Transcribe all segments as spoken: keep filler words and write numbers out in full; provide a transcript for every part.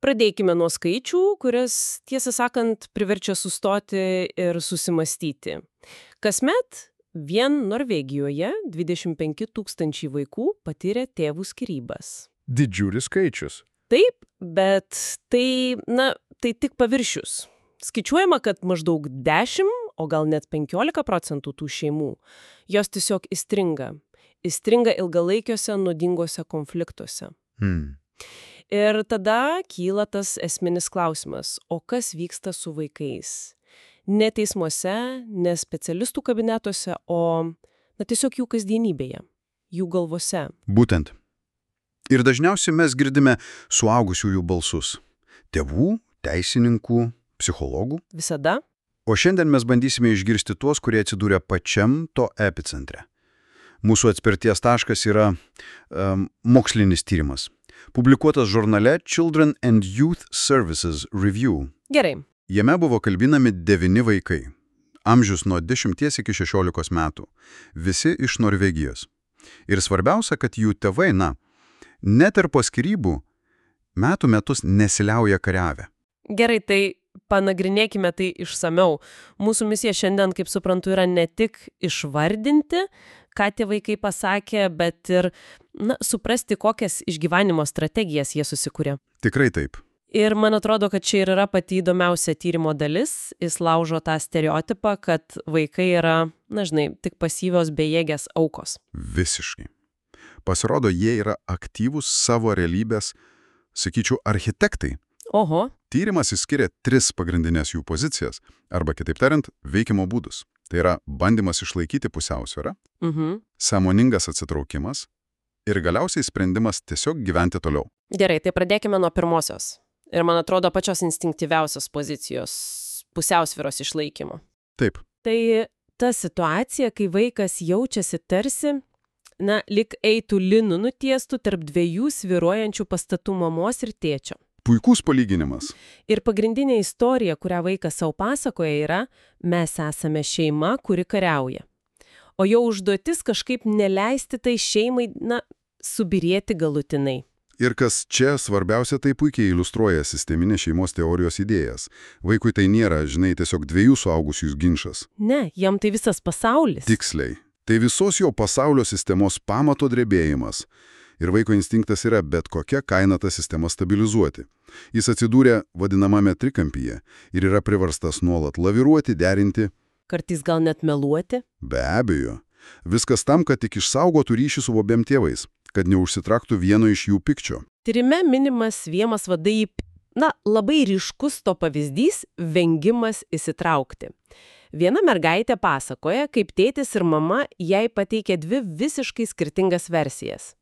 Pradėkime nuo skaičių, kuris, tiesą sakant, priverčia sustoti ir susimastyti. Kasmet vien Norvegijoje dvidešimt penki tūkstančiai vaikų patyrė tėvų skyrybas. Didžiulis skaičius. Taip, bet tai, na, tai tik paviršius. Skaičiuojama, kad maždaug dešimt, o gal net penkiolika procentų tų šeimų, jos tiesiog įstringa. Įstringa ilgalaikiuose nuodinguose konfliktuose. Hmm. Ir tada kyla tas esminis klausimas, o kas vyksta su vaikais? Ne teismuose, ne specialistų kabinetuose, o na, tiesiog jų kasdienybėje, jų galvose. Būtent. Ir dažniausiai mes girdime suaugusiųjų balsus. Tėvų, teisininkų, psichologų. Visada. O šiandien mes bandysime išgirsti tuos, kurie atsidūrė pačiam to epicentre. Mūsų atspirties taškas yra um, mokslinis tyrimas, publikuotas žurnale Children and Youth Services Review. Gerai. Jame buvo kalbinami devyni vaikai, amžius nuo dešimties iki šešiolikos metų, visi iš Norvegijos. Ir svarbiausia, kad jų tėvai, na, net ir po skyrybų, metų metus nesiliauja kariavę. Gerai, tai panagrinėkime tai išsamiau. Mūsų misija šiandien, kaip suprantu, yra ne tik išvardinti, ką tie vaikai pasakė, bet ir na, suprasti, kokias išgyvenimo strategijas jie susikūrė. Tikrai taip. Ir man atrodo, kad čia ir yra pati įdomiausia tyrimo dalis. Jis laužo tą stereotipą, kad vaikai yra, na žinai, tik pasyvios bejėgės aukos. Visiškai. Pasirodo, jie yra aktyvūs savo realybės, sakyčiau, architektai. Oho. Tyrimas išskiria tris pagrindinės jų pozicijas, arba kitaip tariant, veikimo būdus. Tai yra bandymas išlaikyti pusiausvyrą, Mhm. sąmoningas atsitraukimas ir galiausiai sprendimas tiesiog gyventi toliau. Gerai, tai pradėkime nuo pirmosios. Ir man atrodo pačios instinktyviausios pozicijos – pusiausvyros išlaikymo. Taip. Tai ta situacija, kai vaikas jaučiasi tarsi, na, lyg eitų linu nutiestų tarp dviejų svyruojančių pastatų mamos ir tėčio. Puikus palyginimas. Ir pagrindinė istorija, kurią vaikas savo pasakoja, yra mes esame šeima, kuri kariauja. O jo užduotis kažkaip neleisti tai šeimai, na, subirėti galutinai. Ir kas čia svarbiausia, tai puikiai iliustruoja sisteminės šeimos teorijos idėjas. Vaikui tai nėra, žinai, tiesiog dviejų suaugusiųjų ginčas. Ne, jam tai visas pasaulis. Tiksliai. Tai visos jo pasaulio sistemos pamato drebėjimas. Ir vaiko instinktas yra bet kokia kaina tą sistemą stabilizuoti. Jis atsidūrė vadinamame trikampyje ir yra priverstas nuolat laviruoti, derinti. Kartais gal net meluoti. Be abejo. Viskas tam, kad tik išsaugotų ryšį su abiem tėvais, kad neužsitraktų vieno iš jų pykčio. Tyrime minimas vienas vadai, na, labai ryškus to pavyzdys – vengimas įsitraukti. Viena mergaitė pasakoja, kaip tėtis ir mama jai pateikė dvi visiškai skirtingas versijas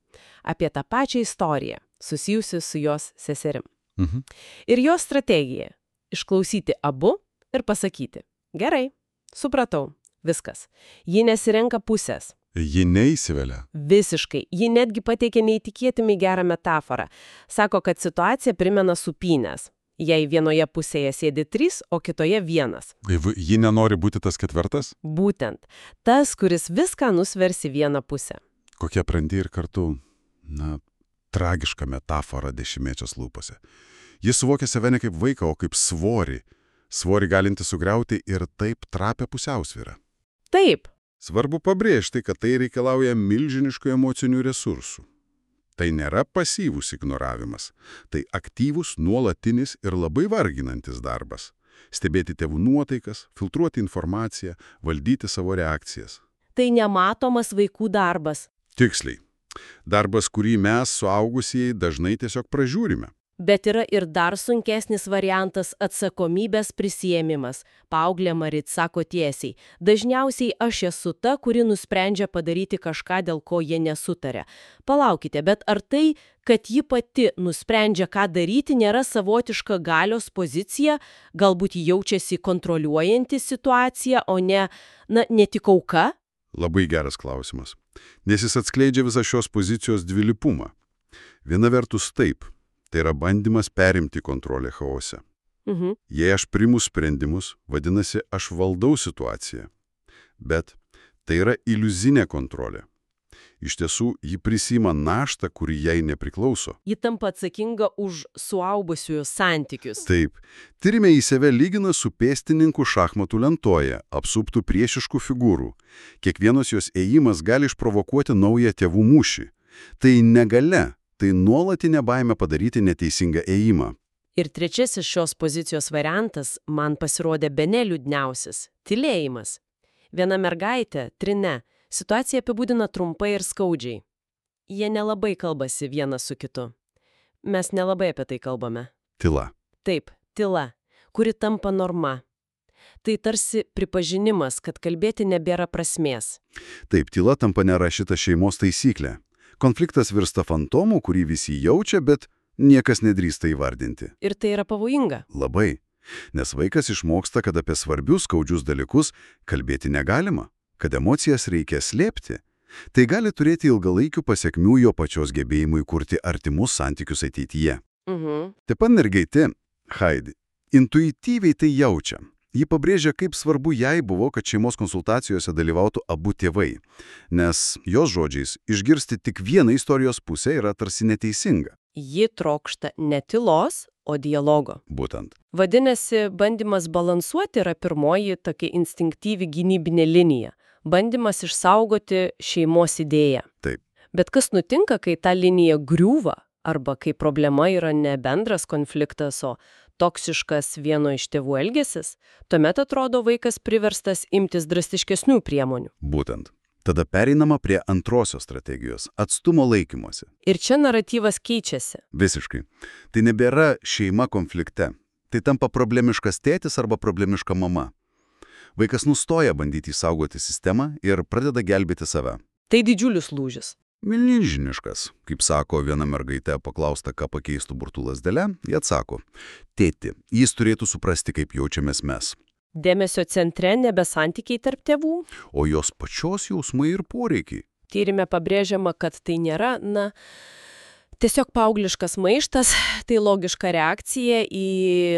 apie tą pačią istoriją, susijusi su jos seserim. Mhm. Ir jos strategija – išklausyti abu ir pasakyti, gerai, supratau, viskas. Ji nesirenka pusės. Ji neįsivelia. Visiškai. Ji netgi pateikė neįtikėtinai gerą metaforą. Sako, kad situacija primena supynės. Jei vienoje pusėje sėdi trys, o kitoje vienas. Ji nenori būti tas ketvirtas? Būtent. Tas, kuris viską nusversi vieną pusę. Kokia brandi ir kartu, na, tragiška metafora dešimtmečios lūpose. Jis suvokia save ne kaip vaiką, o kaip svorį. Svorį galinti sugriauti ir taip trapę pusiausvyrą. Taip. Svarbu pabrėžti, kad tai reikalauja milžiniškų emocinių resursų. Tai nėra pasyvus ignoravimas. Tai aktyvus, nuolatinis ir labai varginantis darbas. Stebėti tėvų nuotaikas, filtruoti informaciją, valdyti savo reakcijas. Tai nematomas vaikų darbas. Tiksliai. Darbas, kurį mes, suaugusieji, dažnai tiesiog pražiūrime. Bet yra ir dar sunkesnis variantas – atsakomybės prisiėmimas. Paauglė Marit sako tiesiai. Dažniausiai aš esu ta, kuri nusprendžia padaryti kažką, dėl ko jie nesutarė. Palaukite, bet ar tai, kad ji pati nusprendžia, ką daryti, nėra savotiška galios pozicija? Galbūt ji jaučiasi kontroliuojanti situaciją, o ne, na, ne tik auka? Labai geras klausimas. Nes jis atskleidžia visą šios pozicijos dvilypumą. Viena vertus taip. Tai yra bandymas perimti kontrolę chaose. Mhm. Jei aš priimu sprendimus, vadinasi, aš valdau situaciją. Bet tai yra iliuzinė kontrolė. Iš tiesų, ji prisima naštą, kuri jai nepriklauso. Ji tampa atsakinga už suaugusiųjų santykius. Taip, tyrime į save lygina su pėstininku šachmatų lentoje, apsuptų priešiškų figūrų. Kiekvienos jos ėjimas gali išprovokuoti naują tėvų mūšį. Tai negalia, tai nuolatinė baimė padaryti neteisingą ėjimą. Ir trečiasis šios pozicijos variantas man pasirodė bene liūdniausias – tylėjimas. Viena mergaitė, Trine, situaciją apibūdina trumpai ir skaudžiai. Jie nelabai kalbasi vienas su kitu. Mes nelabai apie tai kalbame. Tyla. Taip, tyla, kuri tampa norma. Tai tarsi pripažinimas, kad kalbėti nebėra prasmės. Taip, tyla tampa nerašyta šeimos taisyklė. Konfliktas virsta fantomu, kurį visi jaučia, bet niekas nedrįsta įvardinti. Ir tai yra pavojinga. Labai. Nes vaikas išmoksta, kad apie svarbius skaudžius dalykus kalbėti negalima, kad emocijas reikia slėpti. Tai gali turėti ilgalaikių pasiekmių jo pačios gebėjimui kurti artimus santykius ateityje. Mhm. Taip pat mergaitė, Heidi, intuityviai tai jaučia. Ji pabrėžia, kaip svarbu jai buvo, kad šeimos konsultacijose dalyvautų abu tėvai. Nes, jos žodžiais, išgirsti tik vieną istorijos pusę yra tarsi neteisinga. Ji trokšta ne tylos, o dialogo. Būtent. Vadinasi, bandymas balansuoti yra pirmoji tokia instinktyvi gynybinė linija. Bandymas išsaugoti šeimos idėją. Taip. Bet kas nutinka, kai ta linija griūva, arba kai problema yra ne bendras konfliktas, o toksiškas vieno iš tėvų elgesis, tuomet atrodo vaikas priverstas imtis drastiškesnių priemonių. Būtent. Tada pereinama prie antrosios strategijos – atstumo laikymosi. Ir čia naratyvas keičiasi. Visiškai. Tai nebėra šeima konflikte. Tai tampa problemiškas tėtis arba problemiška mama. Vaikas nustoja bandyti išsaugoti sistemą ir pradeda gelbėti save. Tai didžiulis lūžis. Milžiniškas. Kaip sako viena mergaitė paklausta, ką pakeistų burtų lazdele, jie atsako: tėti, jis turėtų suprasti, kaip jaučiamės mes. Dėmesio centre nebe santykiai tarp tėvų, o jos pačios jausmai ir poreikiai. Tyrime pabrėžiama, kad tai nėra, na, tiesiog paaugliškas maištas, tai logiška reakcija į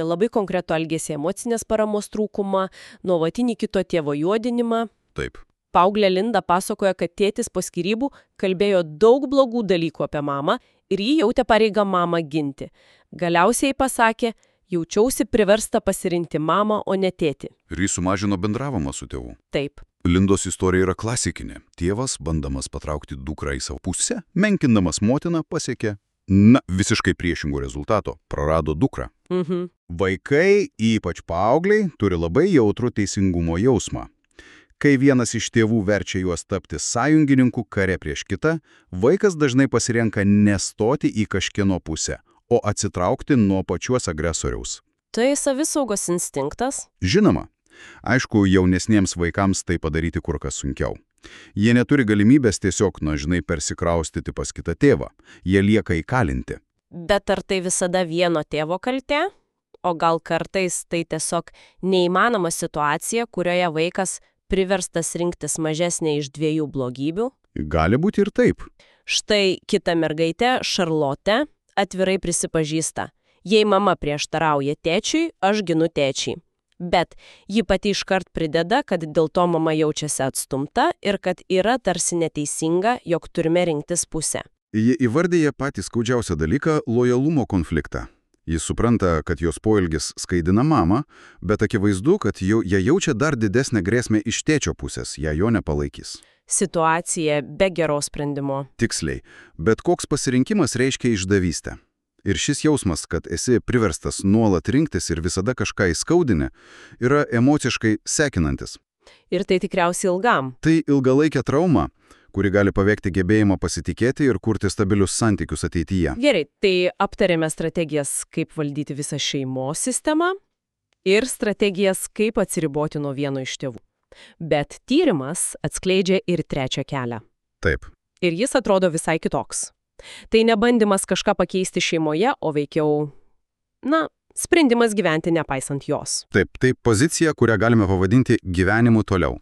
labai konkretų elgesį, emocinės paramos trūkumą, nuolatinį kito tėvo juodinimą. Taip. Paauglė Linda pasakoja, kad tėtis po skyrybų kalbėjo daug blogų dalykų apie mamą ir jį jautė pareigą mamą ginti. Galiausiai pasakė: jaučiausi priversta pasirinkti mamą, o ne tėtį. Ir jis sumažino bendravimą su tėvu. Taip. Lindos istorija yra klasikinė. Tėvas, bandamas patraukti dukrą į savo pusę, menkindamas motiną, pasiekė, na, visiškai priešingų rezultato – prarado dukrą. Mhm. Vaikai, ypač paaugliai, turi labai jautrų teisingumo jausmą. Kai vienas iš tėvų verčia juos tapti sąjungininku kare prieš kitą, vaikas dažnai pasirenka nestoti į kažkieno pusę, o atsitraukti nuo pačios agresoriaus. Tai savisaugos instinktas? Žinoma. Aišku, jaunesniems vaikams tai padaryti kur kas sunkiau. Jie neturi galimybės tiesiog, na, žinai, persikraustyti pas kitą tėvą. Jie lieka įkalinti. Bet ar tai visada vieno tėvo kaltė? O gal kartais tai tiesiog neįmanoma situacija, kurioje vaikas priverstas rinktis mažesnė iš dviejų blogybių? Gali būti ir taip. Štai kita mergaitė, Šarlotė, atvirai prisipažįsta: jei mama prieštarauja tėčiui, aš ginu tėčiui. Bet ji pati iškart prideda, kad dėl to mama jaučiasi atstumta ir kad yra tarsi neteisinga, jog turime rinktis pusę. Jie įvardyja patį skaudžiausią dalyką – lojalumo konfliktą. Jis supranta, kad jos poelgis skaidina mamą, bet akivaizdu, kad jau, jie jaučia dar didesnę grėsmę iš tėčio pusės, jei jo nepalaikys. Situacija be geros sprendimo. Tiksliai, bet koks pasirinkimas reiškia išdavystę. Ir šis jausmas, kad esi priverstas nuolat rinktis ir visada kažką įskaudini, yra emociškai sekinantis. Ir tai tikriausiai ilgam. Tai ilgalaikė trauma, kuri gali paveikti gebėjimą pasitikėti ir kurti stabilius santykius ateityje. Gerai, tai aptarėme strategijas, kaip valdyti visą šeimos sistemą ir strategijas, kaip atsiriboti nuo vieno iš tėvų. Bet tyrimas atskleidžia ir trečią kelią. Taip. Ir jis atrodo visai kitoks. Tai ne bandymas kažką pakeisti šeimoje, o veikiau, na, sprendimas gyventi nepaisant jos. Taip, tai pozicija, kurią galime pavadinti gyvenimu toliau.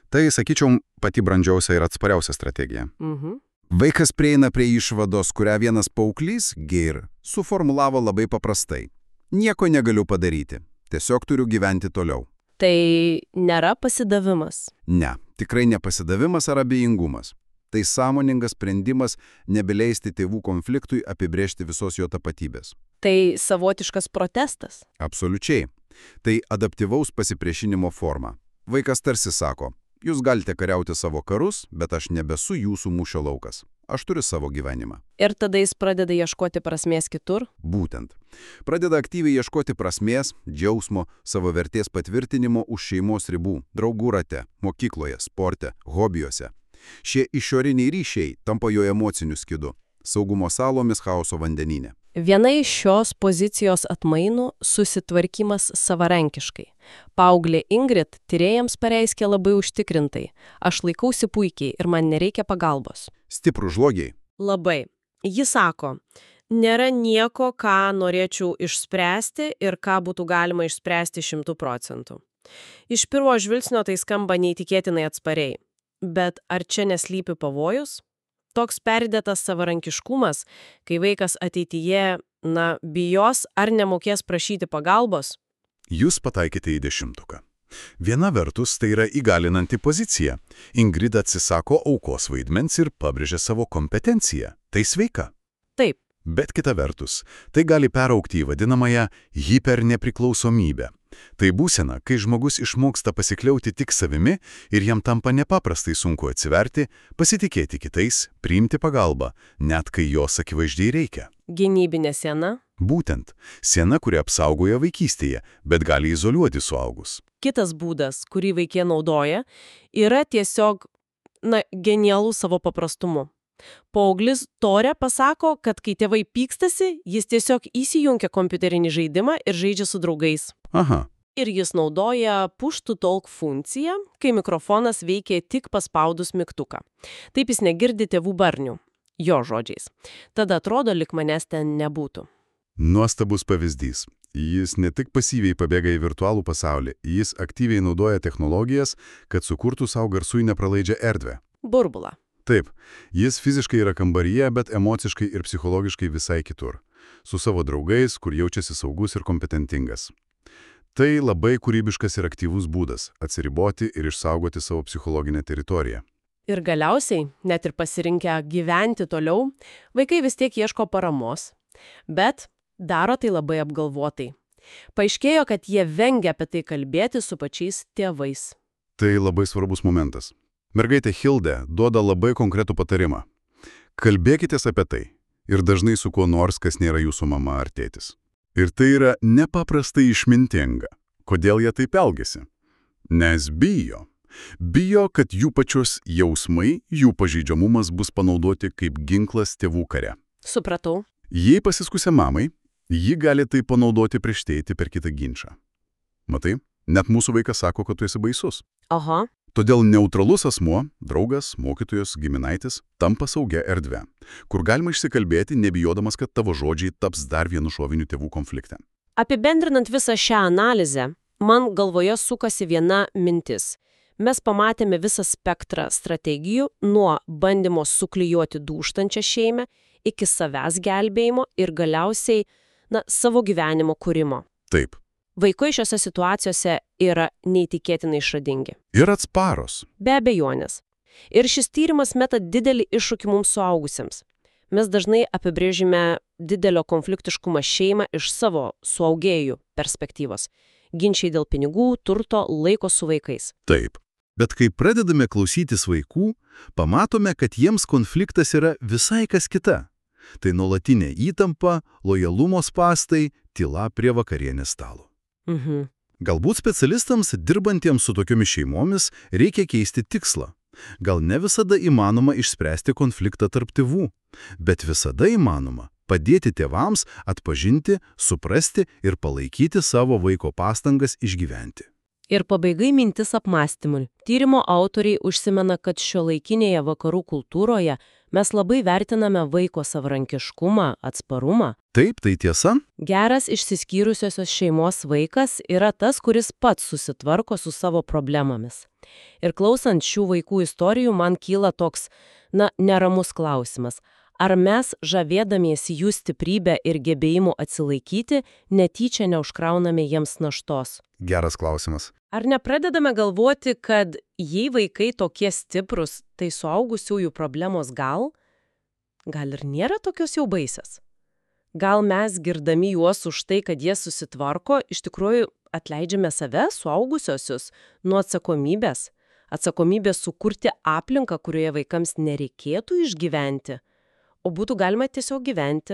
Tai, sakyčiau, pati brandžiausia ir atspariausia strategija. Mhm. Vaikas prieina prie išvados, kurią vienas paauglys, Geir, suformulavo labai paprastai. Nieko negaliu padaryti. Tiesiog turiu gyventi toliau. Tai nėra pasidavimas. Ne, tikrai ne pasidavimas ar abejingumas. Tai sąmoningas sprendimas nebeleisti tėvų konfliktui apibrėžti visos jo tapatybės. Tai savotiškas protestas. Absoliučiai. Tai adaptyvaus pasipriešinimo forma. Vaikas tarsi sako, jūs galite kariauti savo karus, bet aš nebesu jūsų mūšio laukas. Aš turiu savo gyvenimą. Ir tada jis pradeda ieškoti prasmės kitur? Būtent. Pradeda aktyviai ieškoti prasmės, džiausmo, savo vertės patvirtinimo už šeimos ribų, draugų rate, mokykloje, sporte, hobijuose. Šie išoriniai ryšiai tampa jo emociniu skydu, saugumo salomis chaoso vandenyne. Viena iš šios pozicijos atmainų – susitvarkymas savarankiškai. Paauglė Ingrid tyrėjams pareiškė labai užtikrintai. Aš laikausi puikiai ir man nereikia pagalbos. Stiprų žlogiai. Labai. Ji sako, nėra nieko, ką norėčiau išspręsti ir ką būtų galima išspręsti šimtų procentų. Iš pirmo žvilgsnio tai skamba neįtikėtinai atspariai. Bet ar čia neslypi pavojus? Toks perdėtas savarankiškumas, kai vaikas ateityje, na, bijos ar nemokės prašyti pagalbos? Jūs pataikėte į dešimtuką. Viena vertus tai yra įgalinanti pozicija. Ingrid atsisako aukos vaidmens ir pabrėžia savo kompetenciją. Tai sveika. Taip. Bet kita vertus, tai gali peraugti į vadinamąją hipernepriklausomybę. Tai būsena, kai žmogus išmoksta pasikliauti tik savimi ir jam tampa nepaprastai sunku atsiverti, pasitikėti kitais, priimti pagalbą, net kai jos akivaizdžiai reikia. Gynybinė siena? Būtent. Siena, kuri apsaugoja vaikystėje, bet gali izoliuoti suaugus. Kitas būdas, kurį vaikė naudoja, yra tiesiog, na, genialų savo paprastumu. Paauglis Tore pasako, kad kai tėvai pykstasi, jis tiesiog įsijungia kompiuterinį žaidimą ir žaidžia su draugais. Aha. Ir jis naudoja push to talk funkciją, kai mikrofonas veikia tik paspaudus mygtuką. Taip jis negirdi tėvų barnių, jo žodžiais. Tada atrodo, lyg manęs ten nebūtų. Nuostabus pavyzdys. Jis ne tik pasyviai pabėga į virtualų pasaulį, jis aktyviai naudoja technologijas, kad sukurtų savo garsui nepralaidžią erdvę. Burbulą. Taip, jis fiziškai yra kambaryje, bet emociškai ir psichologiškai visai kitur. Su savo draugais, kur jaučiasi saugus ir kompetentingas. Tai labai kūrybiškas ir aktyvus būdas – atsiriboti ir išsaugoti savo psichologinę teritoriją. Ir galiausiai, net ir pasirinkę gyventi toliau, vaikai vis tiek ieško paramos. Bet daro tai labai apgalvotai. Paaiškėjo, kad jie vengia apie tai kalbėti su pačiais tėvais. Tai labai svarbus momentas. Mergaitė Hilde duoda labai konkretų patarimą. Kalbėkitės apie tai ir dažnai su kuo nors, kas nėra jūsų mama ar tėtis. Ir tai yra nepaprastai išmintinga. Kodėl jie taip elgiasi? Nes bijo. Bijo, kad jų pačios jausmai, jų pažeidžiamumas bus panaudoti kaip ginklas tėvų kare. Supratau. Jei pasiskusia mamai, ji gali tai panaudoti prieš tėtį per kitą ginčą. Matai, net mūsų vaikas sako, kad tu esi baisus. Aha. Todėl neutralus asmuo, draugas, mokytojas, giminaitis, tampa saugia erdve, kur galima išsikalbėti, nebijodamas, kad tavo žodžiai taps dar vienu šoviniu tėvų konflikte. Apibendrinant visą šią analizę, man galvoje sukasi viena mintis. Mes pamatėme visą spektrą strategijų nuo bandymo suklijuoti dūžtančią šeimą iki savęs gelbėjimo ir galiausiai, na, savo gyvenimo kūrimo. Taip. Vaikai šiose situacijose yra neįtikėtinai išradingi. Ir atsparos. Be abejonės. Ir šis tyrimas meta didelį iššūkį mums suaugusiems. Mes dažnai apibrėžime didelio konfliktiškumą šeimą iš savo suaugėjų perspektyvos. Ginčiai dėl pinigų, turto, laiko su vaikais. Taip. Bet kai pradedame klausytis vaikų, pamatome, kad jiems konfliktas yra visai kas kita. Tai nuolatinė įtampa, lojalumo spąstai, tyla prie vakarienės stalo. Mhm. Galbūt specialistams, dirbantiems su tokiomis šeimomis, reikia keisti tikslą. Gal ne visada įmanoma išspręsti konfliktą tarp tėvų, bet visada įmanoma padėti tėvams atpažinti, suprasti ir palaikyti savo vaiko pastangas išgyventi. Ir pabaigai mintis apmąstymui. Tyrimo autoriai užsimena, kad šiuolaikinėje vakarų kultūroje mes labai vertiname vaiko savarankiškumą, atsparumą. Taip, tai tiesa? Geras išsiskyrusiosios šeimos vaikas yra tas, kuris pats susitvarko su savo problemomis. Ir klausant šių vaikų istorijų, man kyla toks, na, neramus klausimas. Ar mes, žavėdamiesi jų stiprybę ir gebėjimu atsilaikyti, netyčia neužkrauname jiems naštos? Geras klausimas. Ar nepradedame galvoti, kad jei vaikai tokie stiprus, tai suaugusiųjų problemos gal, gal ir nėra tokios jau baisios? Gal mes, girdami juos už tai, kad jie susitvarko, iš tikrųjų atleidžiame save, suaugusiosius, nuo atsakomybės? Atsakomybės sukurti aplinką, kurioje vaikams nereikėtų išgyventi, o būtų galima tiesiog gyventi.